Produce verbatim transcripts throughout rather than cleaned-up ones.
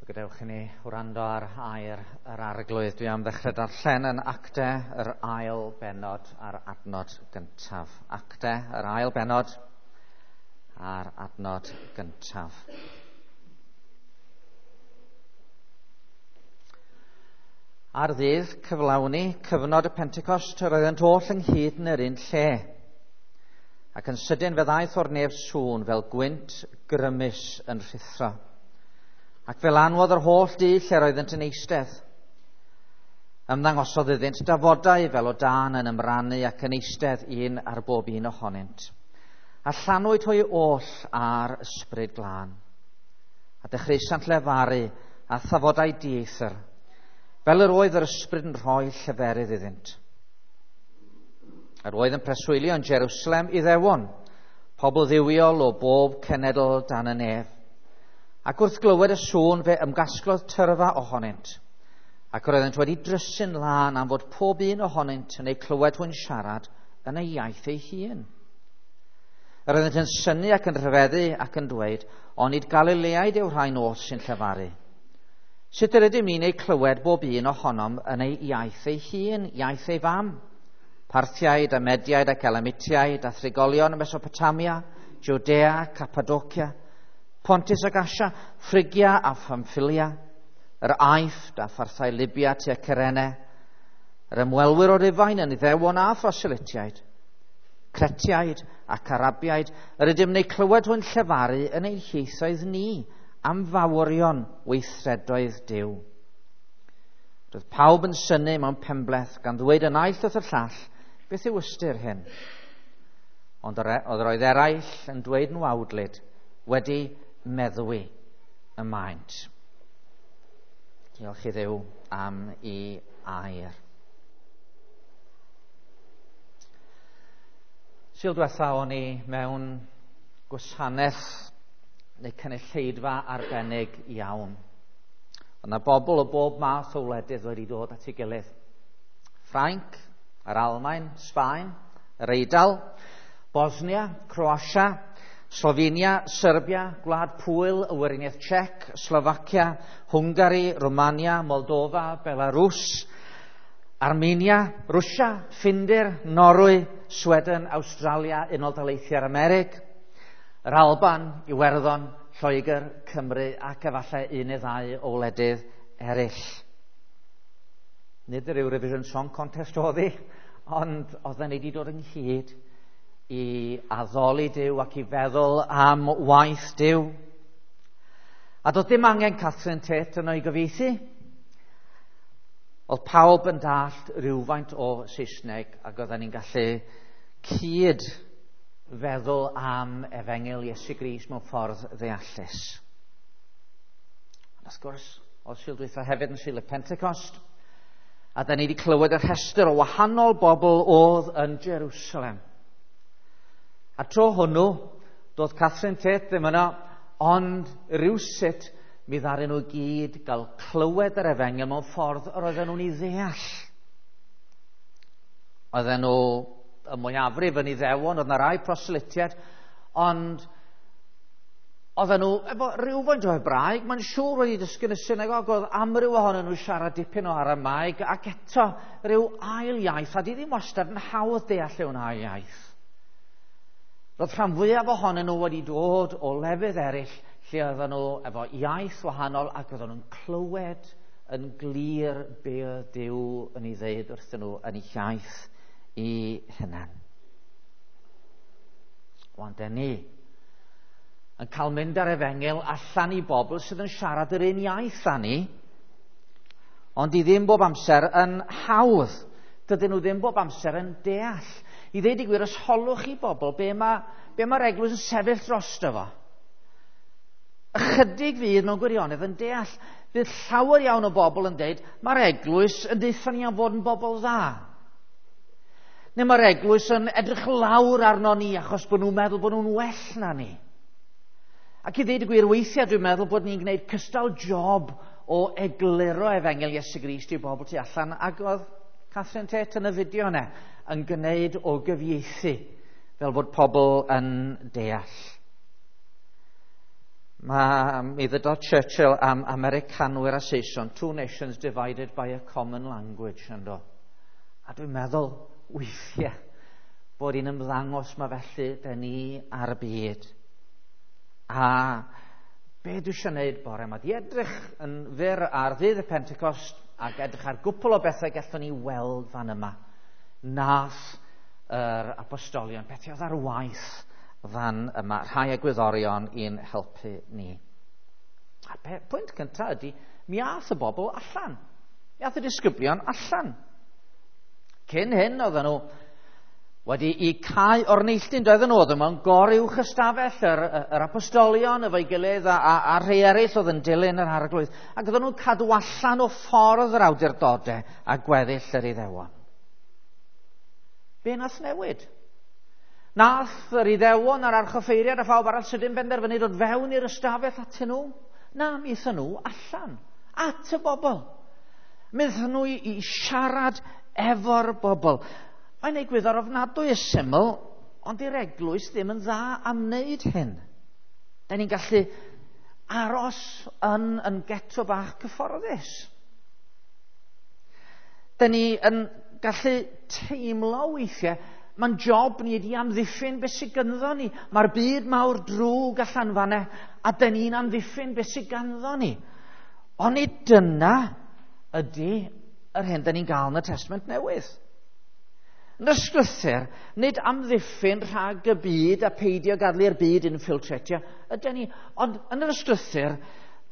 Gadewch i ni wrando ar air yr Arglwydd. Dwi am ddechrau darllen yn Acte yr ail bennod a'r adnod gyntaf. Acte yr ail bennod a'r adnod gyntaf. Ar ddydd cyflawni cyfnod y Pentecost, yr oeddent oll ynghyd yn yr un lle. Ac yn sydyn fe ddaeth o'r nef sŵn fel gwynt grymus yn rhuthro. Ac fe lanwodd yr holl dŷ lle'r oeddent yn eistedd. Ymddangosodd iddynt dafodau fel o dân yn ymrannu ac yn eistedd un ar bob un ohonynt. A llanwyd hwy oll ar ysbryd glân. A dechreusant lefaru a thafodau dieithr, fel yr oedd yr ysbryd yn rhoi lleferydd iddynt. Yr oedd yn preswylio yn Jerusalem Iddewon, pobl dduwiol o bob cenedl dan y nef. Ac wrth glywed y sŵn fe ymgasglodd tyrfa ohonynt, ac yr oeddent wedi drysu'n lân am fod pob un ohonynt yn eu clywed hwy'n siarad yn ei iaith ei hun. Yr oeddent yn synnu ac yn rhyfeddu ac yn dweud, onid Galileaid yw'r rhain oll sy'n llefaru? Sut yr ydym ni'n eu clywed bob un ohonom yn ei iaith ei hun, iaith ei fam? Parthiaid a Mediaid ac Elamitiaid a thrigolion y Mesopotamia, Judea, Cappadocia, Pontus ac Asia, Phrygia a Pamphylia, yr Aifft a pharthau Libia tua Cyrene, yr ymwelwyr o Rufain yn Iddewon a Phroselytiaid, Cretiaid ac Arabiaid, yr ydym yn eu clywed hwy'n llefaru yn ein hieithoedd ni am fawrion weithredoedd Duw. Roedd pawb yn synnu mewn penbleth gan ddweud y naill wrth y llall, beth yw ystyr hyn? Ond oedd roedd eraill yn dweud yn wawdlyd, wedi meddwi y maent. Diolch i Dduw am ei air. Sul diwetha o'n i mewn gwasanaeth neu cynulleidfa arbennig iawn. Oedd yna bobl o bob math o wledydd wedi dod at ei gilydd. Ffrainc, yr Almaen, Sbaen, yr Eidal, Bosnia, Croatia, Slovenia, Serbia, Gwlad Pwyl, y Weriniaeth Czech, Slovacia, Hwngari, Romania, Moldova, Belarus, Armenia, Rwsia, Ffindir, Norwy, Sweden, Awstralia, Unol Daleithiau'r Amerig, yr Alban, Iwerddon, Lloegr, Cymru ac efallai un neu ddau o wledydd eraill. Nid yr Eurovision Song Contest oedd hi, ond oedden ni wedi dod ynghyd i addoli Duw ac i feddwl am waith Duw. A doedd dim angen Catherine Tate yno i gyfieithu. Oedd pawb yn dallt rhywfaint o Saesneg ac oedden ni'n gallu cyd feddwl am efengyl Iesu Grist mewn ffordd ddeallus. Ond wrth gwrs, oedd Sul dwytha hefyd yn Sul y Pentecost, a da ni wedi clywed y rhestr o wahanol bobl oedd yn Jerusalem. A tro hwnnw, doedd Catherine Tate ddim yno, ond rywsut mi ddaru nhw gyd gael clywed yr efengyl mewn ffordd yr oedden nhw'n ei ddeall. Oedden nhw y mwyafrif yn Iddewon, oedd yna rai proselytiaid, ond oedden nhw efo rhywfaint o Hebraeg, mae'n siŵr wedi dysgu yn y synagog, oedd amryw ohonyn nhw siarad dipyn o Aramaeg, ac eto rhyw ail iaith, a di ddim wastad yn hawdd deall mewn ail iaith. Roedd rhan fwyaf ohonyn nhw wedi dod o lefydd eraill lle oedden nhw efo iaith wahanol ac oedden nhw'n clywed yn glir be oedd Duw yn ei ddeud wrthyn nhw yn eu iaith i hunan. Wan, den ni yn cael mynd ar efengyl allan i bobl sydd yn siarad yr un iaith â ni, ond i ddim bob amser yn hawdd. Dydyn nhw ddim bob amser yn deall. I ddeud i gwir, os holwch i bobl be mae, be mae'r eglwys yn sefyll drosto fo. Ychydig fydd mewn gwirionedd yn deall. Bydd llawer iawn o bobl yn deud, mae'r eglwys yn deutha ni am fod yn bobl dda. Neu mae'r eglwys yn edrych lawr arno ni achos bod nhw'n meddwl bod nhw'n well na ni. Ac i ddeud y gwir, weithiau dwi'n meddwl bod ni'n gwneud cystal job o egluro efengyl Iesu Grist i bobl tu allan, ac oedd Catherine Tate yn y fideo yna yn gwneud o gyfieithu fel bod pobl yn deall. Mae, mi ddydodd Churchill am Americanwyr a Saeson, two nations divided by a common language, ynddo. A dwi'n meddwl, weithiau, bod hi'n ymddangos ma felly dyn ni ar y byd. A be dwi eisiau gwneud bore yma, di edrych yn fyr ar ddydd y Pentecost ac edrych ar gwpl o bethau gallwn ni weld fan yma. Nath yr apostolion, beth oedd ar waith fan yma, rhai egwyddorion i'n helpu ni. A pwynt cyntaf ydy, mi ath y bobl allan. Mi ath y disgyblion allan. Cyn hyn oedden nhw wedi i cau o'r neilltu'n, doedden nhw, oedden nhw'n goruwch ystafell yr, yr apostolion efo'i gilydd a, a, a rhai eraill oedd yn dilyn yr arglwydd. Ac oedden nhw'n cadw allan o ffordd yr awdurdodau a gweddill yr Iddewon. Be nath newid? Nath yr Iddewon a'r archoffeiriad a phawb arall sydyn benderfynu dod fewn i'r ystafell atyn nhw? Na, mi aethon nhw allan, at y bobl. Mi aethon nhw i, i siarad efo'r bobl. Mae'n egwyddor ofnadwy y syml, ond i'r eglwys ddim yn dda am wneud hyn. Da ni'n gallu aros yn, yn geto bach cyfforddus. Da ni yn gallu teimlo weithiau, mae'n job ni ydi amddiffyn beth sydd ganddo ni. Mae'r byd mawr drwg allan fan'na, a da ni'n amddiffyn beth sydd ganddo ni. Ond nid dyna ydy yr hyn da ni'n gael yn y Testament Newydd. Yn y Ysgrythur, nid amddiffyn rhag y byd a peidio gadael i'r byd infiltratio, ydyn ni, ond yn yr Ysgrythur,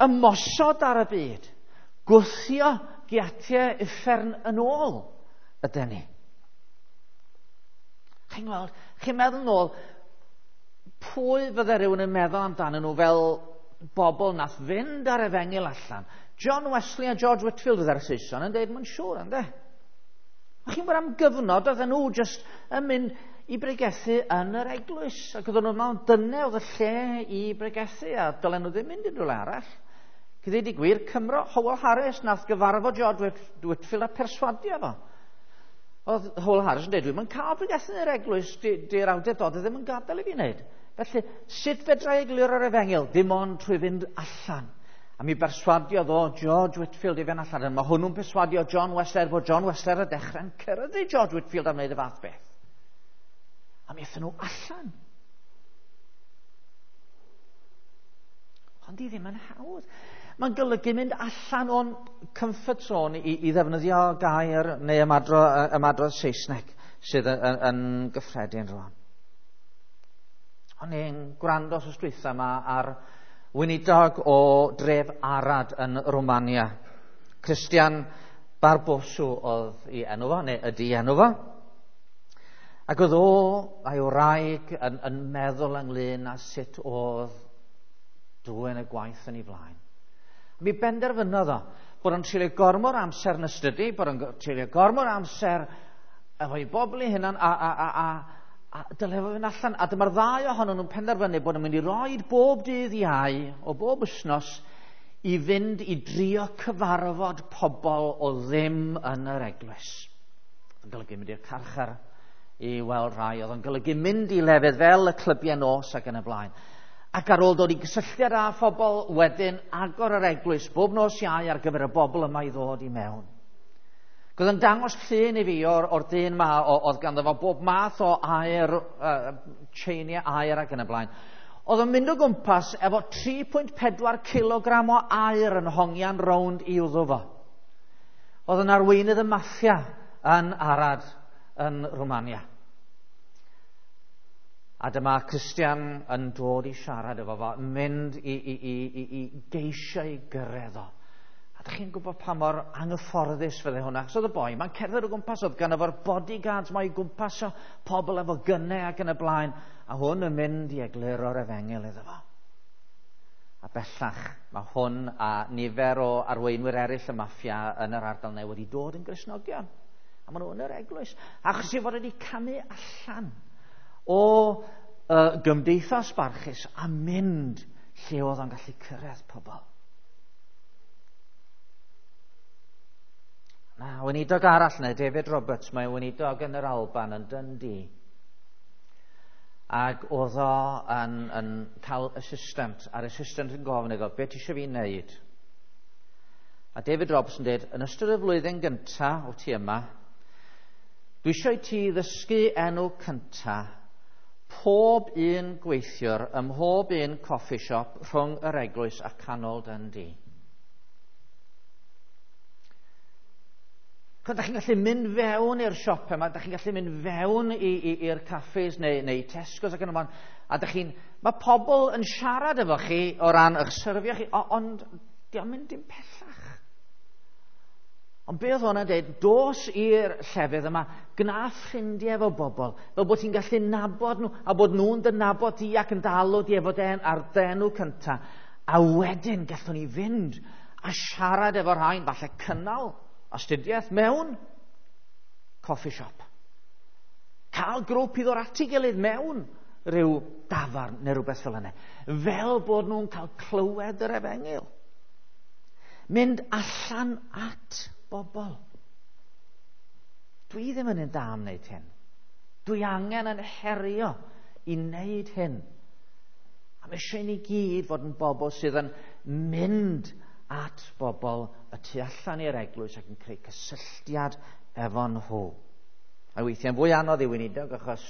ymosod ar y byd, gwthio giatiau uffern yn ôl, ydyn ni. Chi'n gweld, chi'n meddwl nôl, pwy fydde rhywun yn meddwl amdanyn nhw fel bobl nath fynd ar efengyl allan? John Wesley a George Whitefield oedd ar y Saeson yn dweud, mae'n siŵr, ynddo? A chi'n gwybod am gyfnod, oedden nhw jyst yn mynd i bregethu yn yr eglwys. Ac oedden nhw'n meddwl, dyna oedd y lle i bregethu, a dylen nhw ddim mynd i rhywle arall. Cyn dweud i gwir, Cymro, Howell Harris, nath gyfarfod George Whitefield a perswadio fo. Oedd Howell Harris yn dweud, dwi'm yn cael bregethu yn yr eglwys, di'r awdurdodau ddim yn gadael i fi wneud. Felly, sut fedra i egluro'r efengyl? Dim ond trwy fynd allan. A mi berswadiodd o George Whitefield i fynd allan. Mae hwnnw'n perswadio John Wesley, bod John Wesley ar y dechrau'n cyrraedd George Whitefield am wneud y fath beth. A mi aethon nhw allan. Ond di ddim yn hawdd. Mae'n golygu mynd allan o'n comfort zone i, i ddefnyddio gair neu ymadro, ymadrodd Saesneg sydd yn, yn, yn gyffredin rwan. O'n i'n gwrando wsos dwytha yma ar weinidog o dref Arad yn Romania. Christian Barbosu oedd ei enw fo, neu ydy enw fo. Ac oedd o a'i wraig yn, yn meddwl ynglyn â sut oedd dwyn y gwaith yn ei flaen. Mi benderfynodd o bod o'n treulio gormod amser yn astudio, bod o'n treulio gormod amser efo'i bobl ei hunan a, a, a, a, a dyle fo fynd allan. A dyma'r ddau ohonyn nhw'n penderfynu bod nhw'n mynd i roed bob dydd Iau o bob wythnos i fynd i drio cyfarfod pobl o ddim yn yr eglwys. Oedd yn golygu mynd i'r carchar i weld rhai, oedd yn golygu mynd i lefydd fel y clybiau nos ac yn y blaen. Ac ar ôl dod i gysylltiad â phobl, wedyn agor yr eglwys bob nos Iau ar gyfer y bobl yma i ddod i mewn. Oedd yn dangos llun i fi o'r, or dyn ma, oedd ganddo fo bob math o aer, uh, chainiau aer ac yn y blaen. Oedd yn mynd o gwmpas efo tri pwynt pedwar kilogram o aer yn hongian rownd i wddw fo. Oedd yn arweinydd y maffia yn Arad yn Romania. A dyma Christian yn dod i siarad efo fo, mynd i, i, i, i, i geisio i gyrraedd o. A dych chi'n gwybod pa mor anghyfforddus fydde hwnna. Achos oedd y boi, mae'n cerdded o gwmpas, oedd gan efo'r bodyguards mae i gwmpas o pobl efo gynnau ac yn y blaen. A hwn yn mynd i egluro'r efengyl iddo fo. A bellach, mae hwn a nifer o arweinwyr eraill y maffia yn yr ardal newydd wedi dod yn Gristnogion. A maen nhw yn yr eglwys. Achos i fod wedi camu allan o uh, gymdeithas barchus a mynd lle oedd o'n gallu cyrraedd pobl. Na, weinidog arall neu David Roberts, mae weinidog yn yr Alban yn Dundee. Ac oedd o yn, yn cael assistant, a'r assistant yn gofyn iddo, be ti eisiau fi wneud? A David Roberts yn dweud, yn ystod y flwyddyn gyntaf o ti yma, dwi eisiau i ti ddysgu enw cyntaf pob un gweithiwr ym mhob un coffee shop rhwng yr eglwys a canol Dundee. Chos da chi'n gallu mynd fewn i'r siop yma, da chi'n gallu mynd fewn i'r caffes neu, neu Tesco's ac yn y blaen, a da chi'n, mae pobl yn siarad efo chi o ran eich syrfio chi, ond di o'n mynd dim pellach. Ond be oedd hwnna'n dweud, dos i'r llefydd yma, gna ffrindiau efo bobl, fel bod ti'n gallu nabod nhw, a bod nhw'n dy nabod di ac yn dalw di efo den, ar denw cyntaf. A wedyn gallwn ni fynd a siarad efo rhain, falle cynnal astudiaeth mewn coffee shop. Cael grŵp i ddod at ei gilydd mewn rhyw dafarn neu rhywbeth fel yna. Fel bod nhw'n cael clywed yr efengyl. Mynd allan at bobl. Dwi ddim yn un da am wneud hyn. Dwi angen yn herio i wneud hyn. A mae eisiau ni gyd fod yn bobl sydd yn mynd at bobl y tu allan i'r eglwys ac yn creu cysylltiad efo nhw. A weithiau'n fwy anodd i weinidog achos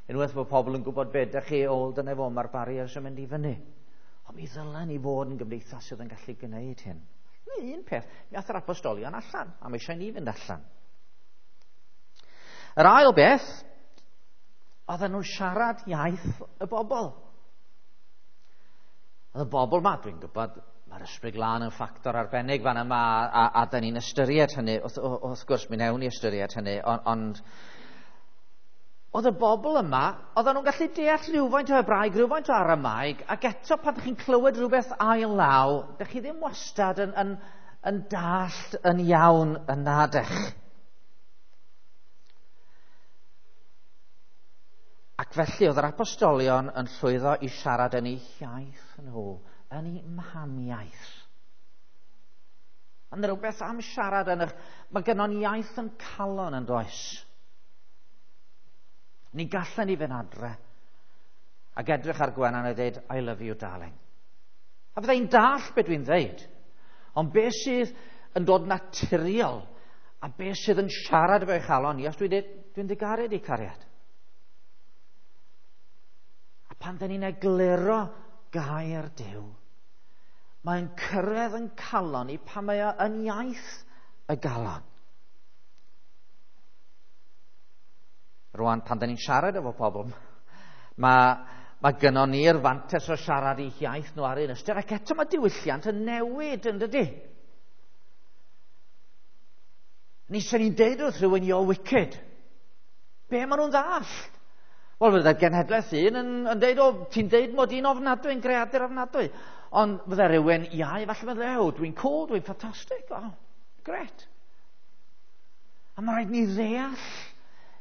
unwaith bod pobl yn gwybod beth ydych chi, o, dyna fo, mae'r barriers yn mynd i fyny. Ond mi ddylen ni fod yn gymdeithas sydd yn gallu gwneud hyn. Neu un peth, mi ath yr apostolion allan, a mae eisiau ni fynd allan. Yr ail beth, oedden nhw'n siarad iaith y bobl. Oedd y bobl ma, dwi'n gwybod, mae'r Ysbryd Glân yn ffactor arbennig fan yma, a, a, a da ni'n ystyried hynny, wrth, wrth gwrs mi wnewn ni ystyried hynny, ond, ond oedd y bobl yma, oedden nhw'n gallu deall rhywfaint o Hebraeg, rhywfaint o Aramaeg, ac eto pan ydych chi'n clywed rhywbeth ail law, dych chi ddim wastad yn, yn, yn dallt yn iawn yn nadech. Ac felly oedd yr apostolion yn llwyddo i siarad yn eu hiaith nhw, yn eu mhamiaith. Ond rhywbeth am siarad yn eich... Mae gynnon iaith yn calon yn does. Ni gallen ni fynd adre ac edrych ar Gwenan a dweud, I love you, darling. A fydda i'n dallt be dwi'n dweud. Ond be sydd yn dod naturiol a be sydd yn siarad efo'i chalon i, os dwi'n dweud, dwi'n digaru di cariad. A pan dyn ni'n egluro gair Duw, mae'n cyrraedd yn calon i pan mae o yn iaith y galon. Rwan, pan dyn ni'n siarad efo pobl, mae, mae gynnon ni'r fantes o siarad eu hiaith nhw ar un ystyr, ac eto mae diwylliant yn newid, yn dydy? Ni sy'n ni'n deud wrth rhywun, you're wicked. Be maen nhw'n ddallt? Wel, fydde'r genhedlaeth un yn, yn deud, o, ti'n deud mod i'n ofnadwy, yn greadur ofnadwy. Ond fydde rhywun iau, falle meddwl, oh, dwi'n cool, dwi'n ffantastig, oh, gret. A mae rhaid ni ddeall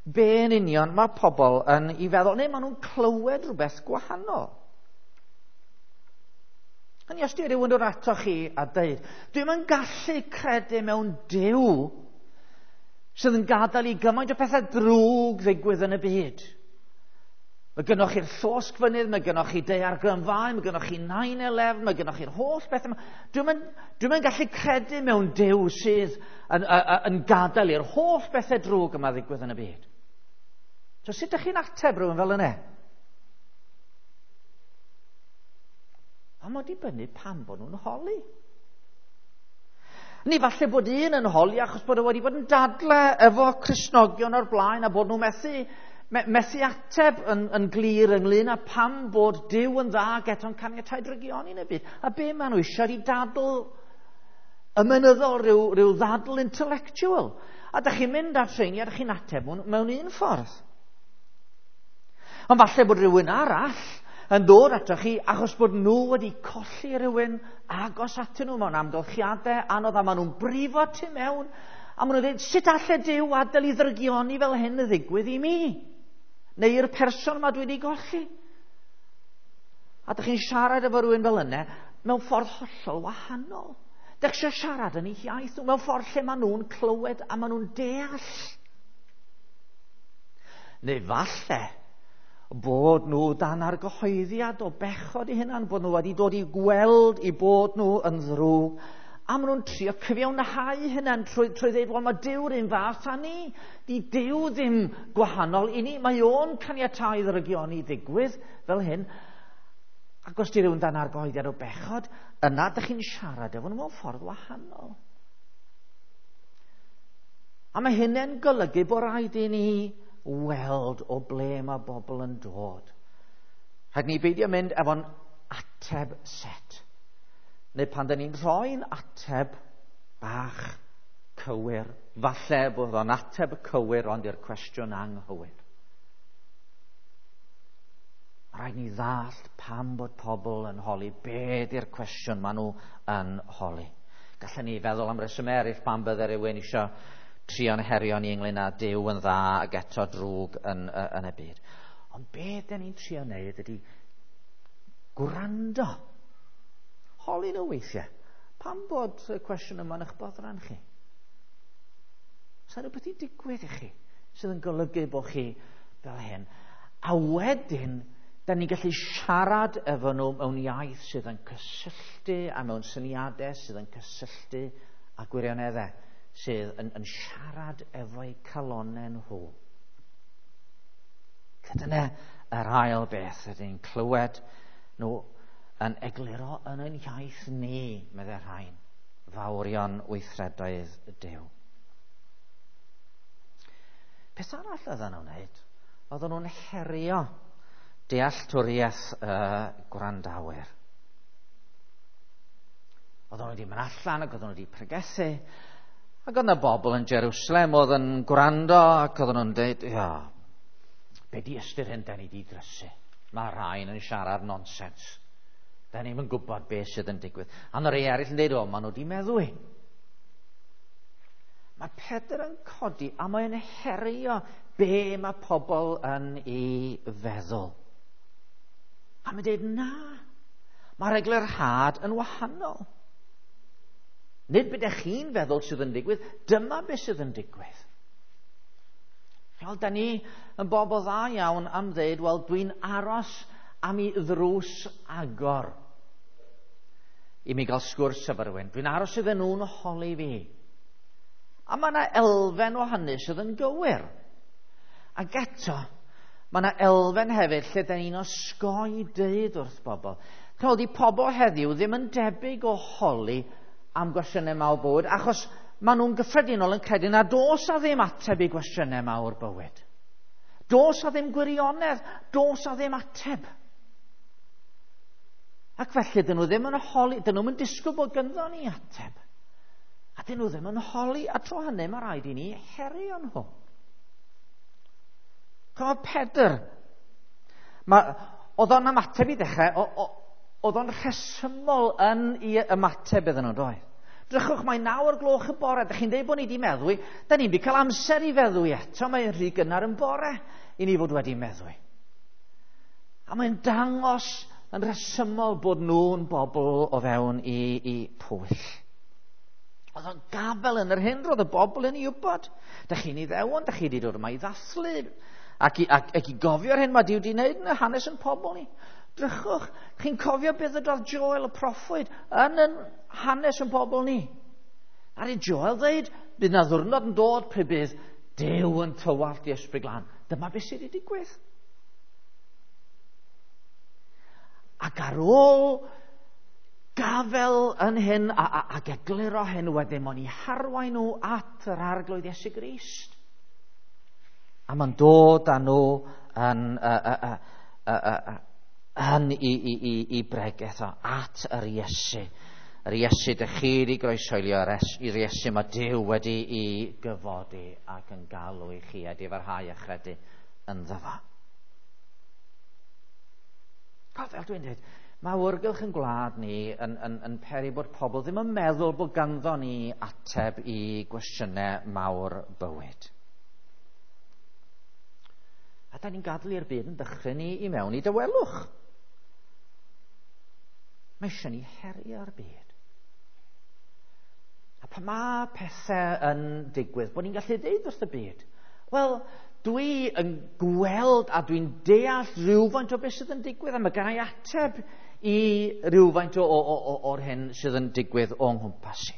be yn union mae pobl yn ei feddwl, neu maen nhw'n clywed rhywbeth gwahanol. Hynny, os di rhywun dod ato chi a deud, dwi'm yn gallu credu mewn Duw sydd yn gadael i gymaint o pethau drwg ddigwydd yn y byd. Mae gynnoch chi'r llosgfynydd, mae gynnoch chi daeargrynfâu, mae gynnoch chi nine eleven, mae gynnoch chi'r holl beth yma. Dwi'm yn, dwi'm yn gallu credu mewn Duw sydd yn, yn, yn gadael i'r holl bethau drwg yma ddigwydd yn y byd. So sut ydych chi'n ateb rhywun fel yna? A mae dibynnu pam bod nhw'n holi. Ni falle bod un yn holi achos bod o wedi bod yn dadle efo Cristnogion o'r blaen a bod nhw methu, me, methu ateb yn, yn glir ynglyn â pam bod Duw yn dda ac eto'n caniatáu drygioni yn y byd. A be maen nhw eisiau i dadl ymynyddol, rhyw, rhyw ddadl intellectual. A dych chi'n mynd at rheini a dych chi'n ateb mewn un ffordd. Ond falle bod rhywun arall yn dod atoch chi achos bod nhw wedi colli rhywun agos atyn nhw mewn amgylchiadau anodd a maen nhw'n brifo tu mewn a maen nhw'n dweud, sut alle Duw adael i ddrygioni fel hyn y ddigwydd i mi? Neu i'r person yma dwi wedi golli? A dych chi'n siarad efo rhywun fel yna mewn ffordd hollol wahanol. Dych chi'n siarad yn eu hiaith nhw mewn ffordd lle maen nhw'n clywed a maen nhw'n deall. Neu falle Bod nhw dan argyhoeddiad o bechod eu hunan, bod nhw wedi dod i gweld i bod nhw yn ddrwg. A maen nhw'n trio cyfiawnhau hynna'n trwy, trwy ddweud, wel, mae Duw'r un fath â ni. Di Duw ddim gwahanol i ni. Mae o'n caniatáu ddrygioni ddigwydd fel hyn. Ac os di rhywun dan argyhoeddiad o bechod, yna dych chi'n siarad efo nhw mewn ffordd wahanol. A mae hynny'n golygu bod rhaid i ni weld o ble mae bobl yn dod. Rhaid ni beidio mynd efo'n ateb set. Neu pan dyn ni'n rhoi'n ateb bach cywir, falle bod o'n ateb cywir ond i'r cwestiwn anghywir. Mae rhaid ni ddallt pam bod pobl yn holi, be di'r cwestiwn maen nhw yn holi. Gallen ni feddwl am reswm eraill pam bydde rhywun eisiau trio'n herio ni ynglyn â Duw yn dda ac eto drwg yn, yn y byd. Ond be dyn ni'n trio wneud ydy gwrando. Holi nhw weithiau. Pam bod y cwestiwn yma yn eich boddran chi? Oes 'na rhywbeth i digwydd i chi sydd yn golygu bod chi fel hyn? A wedyn, da ni'n gallu siarad efo nhw mewn iaith sydd yn cysylltu a mewn syniadau sydd yn cysylltu â gwirioneddau sydd yn, yn siarad efo'u calonnau nhw. Dyna yr ail beth ydyn ni'n clywed nhw yn egluro yn ein iaith ni, meddai rhain, fawrion weithredoedd Duw. Peth arall oedden nhw'n wneud, oedden nhw'n herio dealltwriaeth y gwrandawyr. Oedden nhw wedi mynd allan ac oedden nhw wedi pregethu, ac oedd yna bobl yn Jerusalem oedd yn gwrando ac oedden nhw'n dweud, ia, be di ystyr hyn da ni di drysu? Mae rhain yn siarad nonsens. Da ni'm yn gwybod beth sydd yn digwydd. A yna rei eraill yn dweud, o, maen nhw wedi meddwi. Mae Pedr yn codi a mae'n herio be mae pobl yn ei feddwl. A mae'n dweud, na, mae'r eglurhad yn wahanol. Nid beth ydych chi'n feddwl sydd yn digwydd, dyma beth sydd yn digwydd. Wel, da ni yn bobl dda iawn am ddeud, wel, dwi'n aros am i ddrws agor i mi gael sgwrs efo rhywun. Dwi'n aros iddyn nhw'n holi fi. A mae yna elfen o hynny sydd yn gywir. Ac eto, mae yna elfen hefyd lle da ni'n osgoi deud wrth bobl. Chymod, di pobl heddiw ddim yn debyg o holi am gwestiynau mawr bywyd, achos maen nhw'n gyffredinol yn credu na dos a ddim ateb i gwestiynau mawr bywyd. Dos a ddim gwirionedd, dos a ddim ateb. Ac felly, dyn nhw ddim yn holi, dyn nhw'n disgwyl bod ganddo ni ateb. A dyn nhw ddim yn holi, a tro hynny mae rhaid i ni herio nhw. Chymod, Pedr, ma, oedd o'n ymateb i ddechrau, oedd o'n rhesymol yn ei ymateb iddyn nhw, doedd? Drychwch, mae naw o'r gloch y bore, dych chi'n dweud bod ni wedi meddwi, da ni'n wedi cael amser i feddwi eto, mae'n rhy gynnar yn bore i ni fod wedi meddwi. A mae'n dangos yn rhesymol bod nhw'n bobl o fewn i, i pwyll. Oedd o'n gafel yn yr hyn roedd y bobl yn ei wybod. Dych chi'n Iddewon, dych chi wedi dod yma i ddathlu, ac i, ac, ac i gofio'r hyn mae Duw wedi wneud yn y hanes yn pobl ni. Drychwch, chi'n cofio beth ydodd Joel y proffwyd yn yn hanes yn pobl ni. Ar i Joel ddeud, bydd na ddwrnod yn dod pryd bydd Duw yn tywallt i Ysbryd Glân. Dyma beth sydd wedi digwydd. Ac ar ôl gafel yn hyn a, a, ac egluro hyn wedyn, mae'n i harwain nhw at yr Arglwydd Iesu Grist. A mae'n dod â nhw yn, uh, uh, uh, uh, uh, yn i, i, i, i bregeth o at yr Iesu. Yr Iesu dych chi wedi groesoelio, yr Iesu mae Duw wedi i gyfodi ac yn galw i chi a difarhau a chredu ynddo fo. A fel dwi'n dweud, mae awyrgylch yn gwlad ni yn, yn, yn peri bod pobl ddim yn meddwl bod ganddo ni ateb i gwestiynau mawr bywyd. A da ni'n gadael i'r byd yn dychryn ni i mewn i dawelwch. Mae eisiau ni herio'r byd. A pan mae pethau yn digwydd, bod ni'n gallu dweud wrth y byd, wel, Dwi yn gweld a dwi'n deall rhywfaint o beth sydd yn digwydd, a mae gen i ateb i rhywfaint o, o, o, o'r hyn sydd yn digwydd o'n nghwmpas i.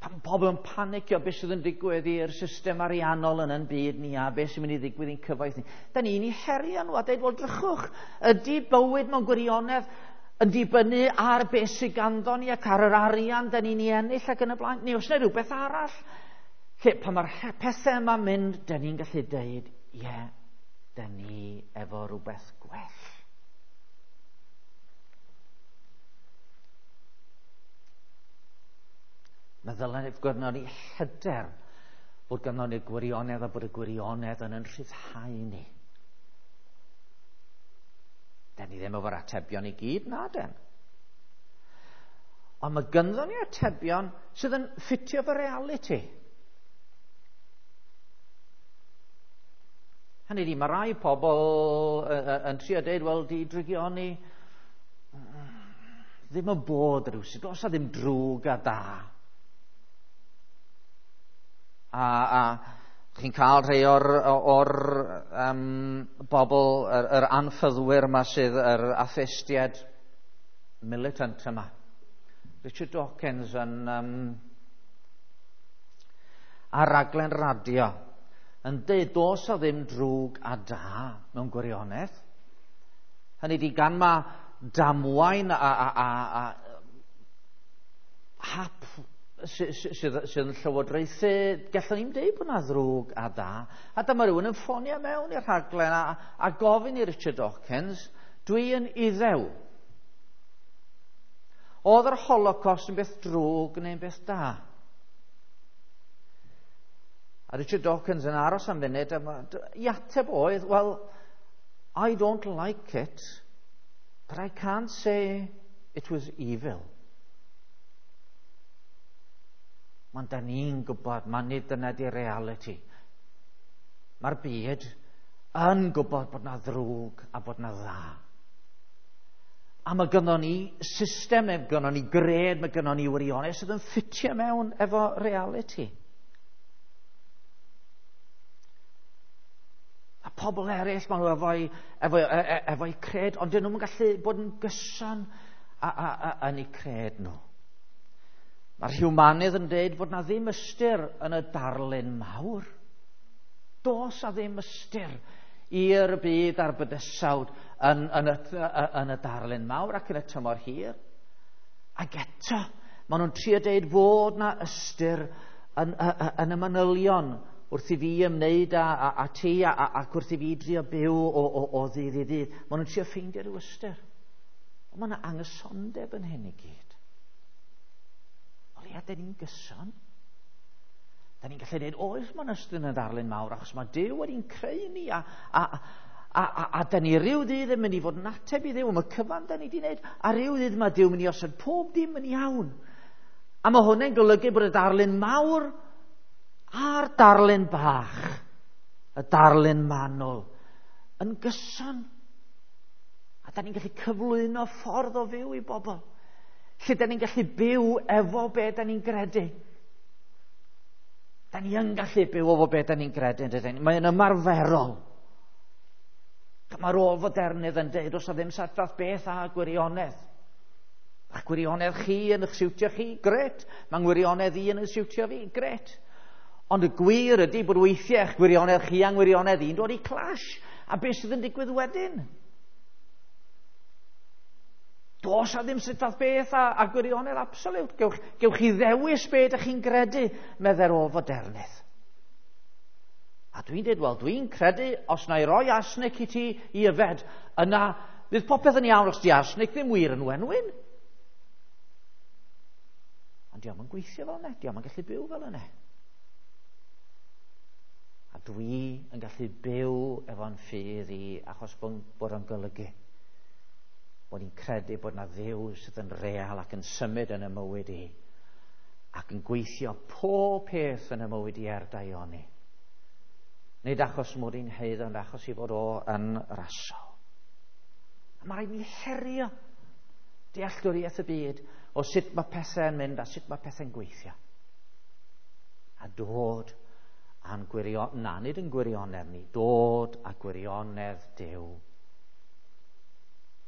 Pan pobl yn panicio beth sydd yn digwydd i'r system ariannol yn yn byd ni a beth sy'n mynd i ddigwydd i'n cyfoeth ni, da ni'n ei herio nhw a dweud, wel drychwch, ydy bywyd mewn gwirionedd yn dibynnu ar beth sydd ganddo ni ac ar yr arian da ni'n ei ennill ac yn y blaen, neu os yna rhywbeth arall? Lle, pan mae'r pethau yma'n mynd, da ni'n gallu deud, ie, yeah, da ni efo rhywbeth gwell. Mae ddylen gynnon ni hyder bod gynnon ni'r gwirionedd a bod y gwirionedd yn yn rhyddhau ni. Da ni ddim efo'r atebion i gyd, na den. Ond mae gynnon ni atebion sydd yn ffitio fy reality. Hynny ydi, mae rai pobl yn trio deud, wel, di drygioni ddim yn bod rhywsut, does na ddim drwg a da. A, a chi'n cael rhai o'r, or, um, bobl, yr, yr anffyddwyr yma sydd, yr atheistiaid militant yma. Richard Dawkins yn um, ar raglen radio yn deud does o ddim drwg a da mewn gwirionedd. Hynny ydi, gan ma damwain a, a, a, a hap sydd, sydd yn llywodraethu, gallwn ni'n deud bod yna ddrwg a da. A dyma rhywun yn ffonio mewn i'r rhaglen a, a gofyn i Richard Dawkins, dwi yn Iddew. Oedd yr Holocaust yn beth drwg neu'n beth da? A Richard Dawkins yn aros am funud, a i ateb oedd, well, I don't like it, but I can't say it was evil. Mae'n da ni'n gwybod, mae nid dyna di reality. Mae'r byd yn gwybod bod na ddrwg a bod na dda. A mae gynnon ni system, mae gynnon ni gred, mae gynnon ni wirionedd sydd yn ffitio mewn efo reality. A pobl eraill, maen nhw efo'i, efo, efo cred, ond dyn nhw'n gallu bod yn gyson a, a, a, yn eu cred nhw. Mae'r humanydd yn dweud bod na ddim ystyr yn y darlun mawr. Does a ddim ystyr i'r byd a'r bydysawd yn, yn, y, yn y darlun mawr ac yn y tymor hir. Ac eto, maen nhw'n trio deud fod na ystyr yn, yn, yn y manylion wrth i fi ymwneud â, a, a ti a, a, ac wrth i fi drio byw o, o, o ddydd i ddydd. Maen nhw'n trio ffeindio rhyw ystyr. Ond mae yna anghysondeb yn hyn i gyd. O leia, dyn ni'n gyson. Da ni'n gallu dweud, oes mae'n ystyr yn y darlun mawr, achos mae Duw wedi'n creu ni, a, a, a, a, a da ni ryw ddydd yn mynd i fod yn ateb i Dduw am y cyfan da ni wedi wneud, a ryw ddydd mae Duw yn mynd i osod pob dim yn iawn. A mae hwnna'n golygu bod y darlun mawr a'r darlun bach, y darlun manwl, yn gyson. A da ni'n gallu cyflwyno ffordd o fyw i bobl, lle da ni'n gallu byw efo be da ni'n gredu. Da ni yn gallu byw efo be da ni'n gredu, yn Mae'n ymarferol. Mae'r ôl-fodernydd yn dweud, os o ddim sadfath beth a gwirionedd. A'ch gwirionedd chi yn eich siwtio chi, gret. Mae'n gwirionedd i yn eich siwtio fi, gret. Ond y gwir ydy bod weithiau eich gwirionedd chi a'n gwirionedd i'n dod i clash. A beth sydd yn digwydd wedyn? Does a ddim sut fath beth a, a gwirionedd absoliwt. Gewch, gewch chi ddewis be ydych chi'n gredu, medde'r ôl-fodernydd. A dwi'n dweud, wel, dwi'n credu, os na i roi arsenic i ti i yfed, yna fydd popeth yn iawn os di arsenic ddim wir yn wenwyn. Ond dio'm yn gweithio fel yna, dio'm yn gallu byw fel yna. A dwi yn gallu byw efo'n ffydd i achos bod o'n golygu bod ni'n credu bod na Dduw sydd yn real ac yn symud yn y mywyd i ac yn gweithio pob peth yn y mywyd i er daioni. Nid achos mod i'n haeddu, ond achos i fod o yn rasol. A mae rhaid ni herio dealltwriaeth y byd o sut mae pethau'n mynd a sut mae pethau'n gweithio. A dod A'n gwirion, na, nid yn gwirionedd ni, dod a gwirionedd Duw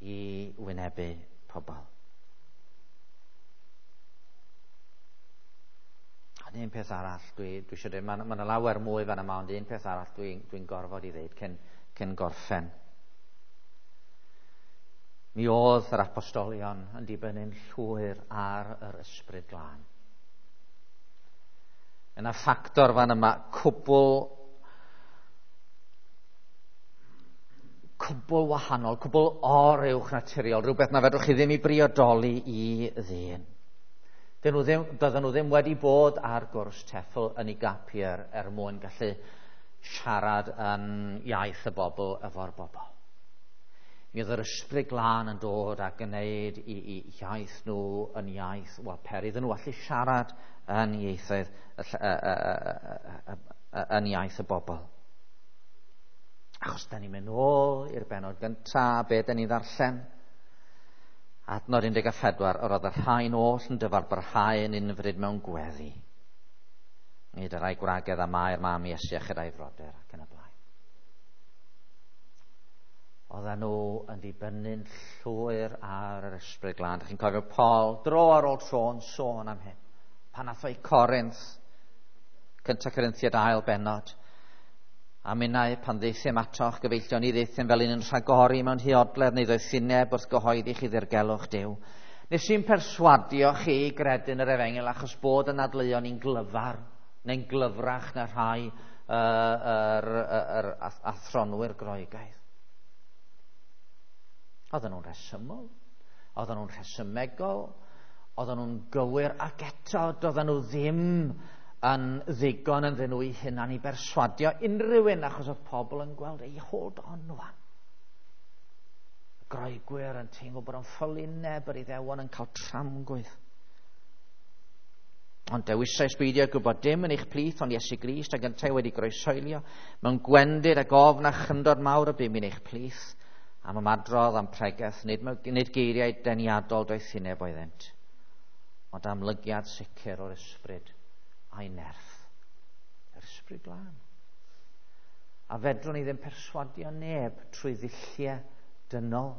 i wynebu pobl. Ond un peth arall, dwi, dwi eisiau dweud, mae yna lawer mwy fan yma, ond un peth arall dwi'n dwi gorfod i ddeud cyn, cyn gorffen. Mi oedd yr apostolion yn dibynnu'n llwyr ar yr Ysbryd Glân. Yna ffactor fan yma cwbl, cwbl wahanol, cwbl oruwch naturiol, rhywbeth na fedrwch chi ddim i briodoli i ddyn. Dyn nhw ddim, doedden nhw ddim wedi bod ar gwrs TEFL yn ei gap year er mwyn gallu siarad yn iaith y bobl efo'r bobl. Mi oedd yr Ysbryd Glân yn dod a gwneud i, i iaith nhw yn iaith, wel, per iddyn nhw allu siarad yn ieithoedd, yn iaith y bobl. Achos da ni'n mynd ôl i'r bennod gyntaf, be da ni'n ddarllen. Adnod un deg pedwar, yr oedd y rhain oll yn dyfalbarhau yn unfryd mewn gweddi. Nid yr rhai gwragedd a Mair mam Iesu a chyda'i frodyr ac yn y blaen. Oedden nhw yn dibynnu'n llwyr ar yr Ysbryd Glân. Dych chi'n cofio Paul dro ar ôl tro yn sôn am hyn. Pan ath o i Corinth, cynta Corinthiaid ail bennod, a minnau pan ddeithim atoch gyfeillion ni ddeithim fel un yn rhagori mewn huodledd neu ddoethineb wrth gyhoeddi chi ddirgelwch Duw. Nes i'n perswadio chi i gredu'n yr efengyl achos bod yn adleuon ni'n glyfar neu'n glyfrach na rhai uh, yr, yr, yr athronwyr Groegaidd. Oedden nhw'n rhesymol, oedden nhw'n rhesymegol, oedden nhw'n gywir, ac eto doedden nhw ddim yn ddigon ynddyn nhw eu hunan i berswadio unrhyw un, achos oedd pobl yn gweld ei hold on wan. Y Groegwyr yn teimlo bod o'n ffolineb, yr Iddewon yn cael tramgwydd. Ond dewisais beidio gwybod dim yn eich plith, ond Iesu Grist ac yntau wedi groesoelio, mewn gwendid ac ofn a chyndod mawr y bum yn eich plith, am ymadrodd, am pregeth, nid, nid geiriau deniadol doethineb oeddynt, ond amlygiad sicr o'r ysbryd a'i nerth. Yr Ysbryd Glân. A fedrwn ni ddim perswadio neb trwy ddulliau dynol.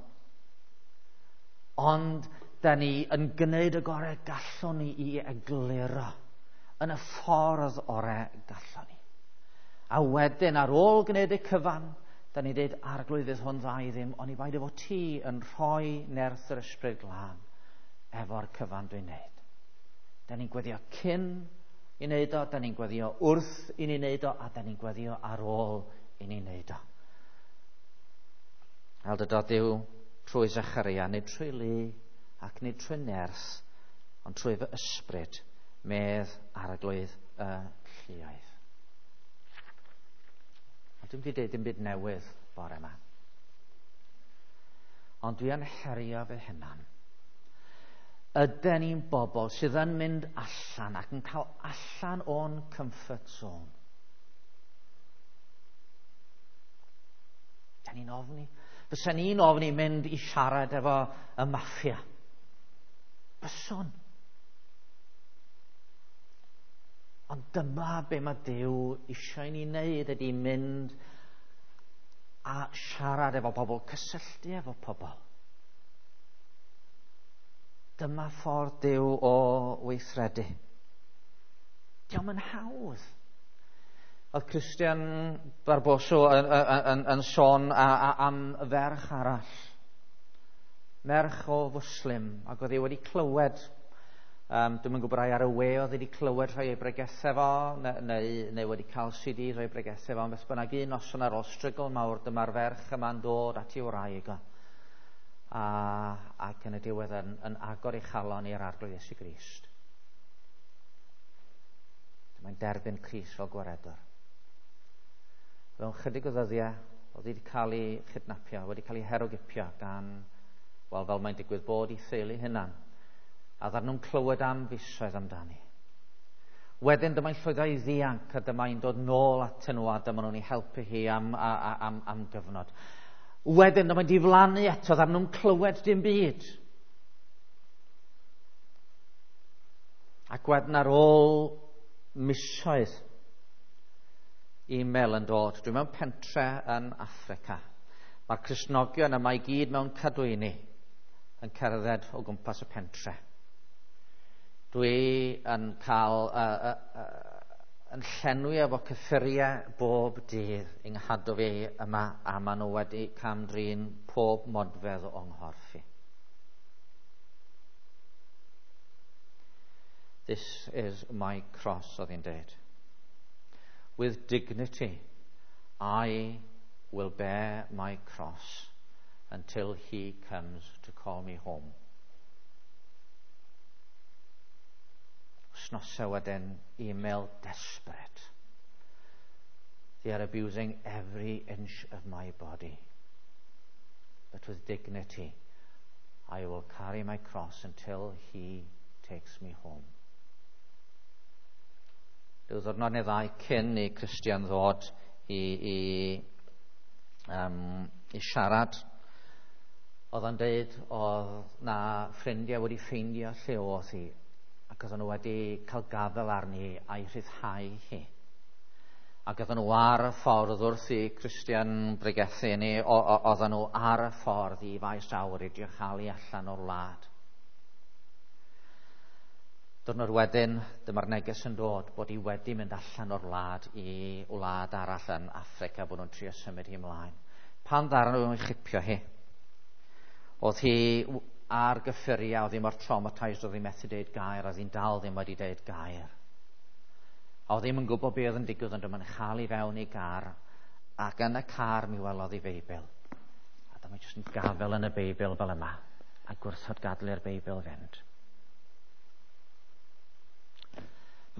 Ond da ni yn gwneud y gorau gallwn ni i egluro yn y ffordd orau gallwn ni. A wedyn ar ôl gwneud y cyfan, da ni'n dweud, Arglwydd, fydd hwn dda i ddim, ond i bai dy fod ti yn rhoi nerth yr Ysbryd Glân efo'r cyfan dwi'n neud. Da ni'n gweddio cyn i wneud o, da ni'n gweddio wrth i ni wneud o, a da ni'n gweddio ar ôl i ni wneud o. Fel dydodd Duw trwy Zecharia, nid trwy lu ac nid trwy nerth, ond trwy fy ysbryd, medd Arglwydd y lluoedd. Ond dwi'n wedi dweud dim byd newydd bore yma. Ond dwi yn herio fy hunan. Yden ni'n bobl sydd yn mynd allan ac yn cael allan o'n comfort zone? Da ni'n ofni. Fysa ni'n ofni mynd i siarad efo y maffia. Byswn. Ond dyma be mae Duw eisiau ni wneud, ydy mynd a siarad efo pobl, cysylltu efo pobl. Dyma ffordd Duw o weithredu. Dio'm yn hawdd. Oedd Christian Barboso yn, yn, yn, yn sôn a, a, am ferch arall. Merch o Fwslim, ac oedd hi wedi clywed, um, dwi'm yn gwybod ai ar y we oedd hi wedi clywed rhai o'i bregethau fo, neu, neu, neu wedi cael C D rhai o'i bregethau fo, ond beth bynnag, un noson ar ôl strygl mawr, dyma'r ferch yma'n dod at ei wraig o. A, ac yn y diwedd yn, yn agor ei chalon i'r Arglwydd Iesu Grist. Mae'n derbyn Crist fel gwaredwr. Fewn chydig o ddyddiau, oedd wedi cael ei chydnapio, wedi cael ei herwgipio gan, wel, fel mae'n digwydd bod i theulu hunan. A ddaru nhw'n clywed am fisoedd amdani. Wedyn dyma'n llwyddo i ddianc, a dyma'n dod nôl atyn nhw, a dyma nhw'n ei helpu hi am, a, a, am, am gyfnod. Wedyn dyma'n diflannu eto, ddaru nhw'n clywed dim byd. Ac wedyn ar ôl misoedd, E-mail yn dod. Dwi mewn pentre yn Affrica. Mae'r Cristnogion yma i gyd mewn cadwyni yn cerdded o gwmpas y pentre. Dwi yn cael uh, uh, uh, yn llenwi efo cyffuriau bob dydd yng nghadw fi yma, a maen nhw wedi cam-drin pob modfedd o'n nghorff i. This is my cross, oedd hi'n dweud. With dignity, I will bear my cross until he comes to call me home. Wythnosau wedyn, email desperate. They are abusing every inch of my body. But with dignity, I will carry my cross until he takes me home. Rhyw ddiwrnod neu ddau cyn i Christian ddod i, i, um, i siarad, oedd o'n deud oedd na ffrindiau wedi ffeindio lle oedd hi, ac oedden nhw wedi cael gafael arni a'i rhyddhau hi. Ac oedden nhw ar y ffordd wrth i Christian bregethu ni, oedden nhw ar y ffordd i faes awyr i drio chael allan o'r wlad. Diwrnod wedyn, dyma'r neges yn dod bod hi wedi mynd allan o'r wlad i wlad arall yn Affrica, bod nhw'n trio symud hi ymlaen. Pan ddaru nhw'n chipio hi, oedd hi ar gyffuriau, oedd hi mor traumatised, oedd hi methu deud gair, oedd hi'n dal ddim wedi deud gair. A oedd ddim yn gwybod beth oedd yn digwydd, ond dyma'n chael i fewn i gar, ac yn y car mi welodd i Feibl. A dyma jyst yn gafel yn y Beibl fel yma, a gwrthod gadael i'r Beibl fynd.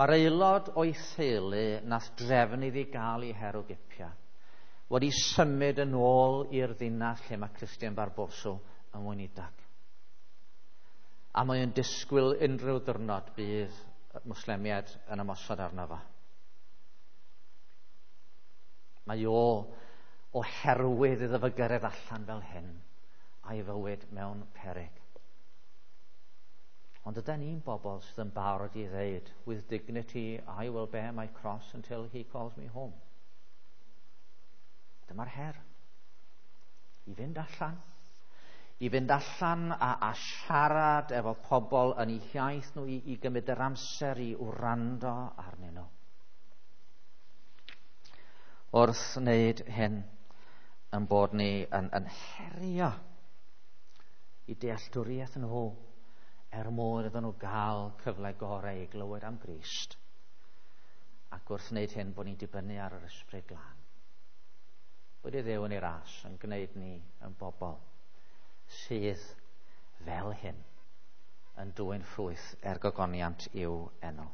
Mae'r aelod o'i theulu nath drefn iddi gael ei herwgipio wedi symud yn ôl i'r ddinas lle mae Christian Barboso yn weinidog. A mae o'n disgwyl unrhyw ddiwrnod bydd Mwslemiaid yn ymosod arno fo. Mae o oherwydd iddo fo gyrraedd allan fel hyn a'i fywyd mewn peryg. Ond ydy ni'n bobl sydd yn barod i ddeud, with dignity I will bear my cross until he calls me home. Dyma'r her. I fynd allan. I fynd allan a, a siarad efo pobl yn eu hiaith nhw, i, i gymryd yr amser i wrando arnyn nhw. Wrth wneud hyn, yn bod ni yn, yn herio i dealltwriaeth nhw er mwyn iddyn nhw gael cyfle gorau i glywed am Grist. Ac wrth wneud hyn, bod ni'n dibynnu ar yr Ysbryd Glân. Bod i Dduw yn ei ras yn gwneud ni yn bobl sydd fel hyn yn dwyn ffrwyth er gogoniant i'w enw.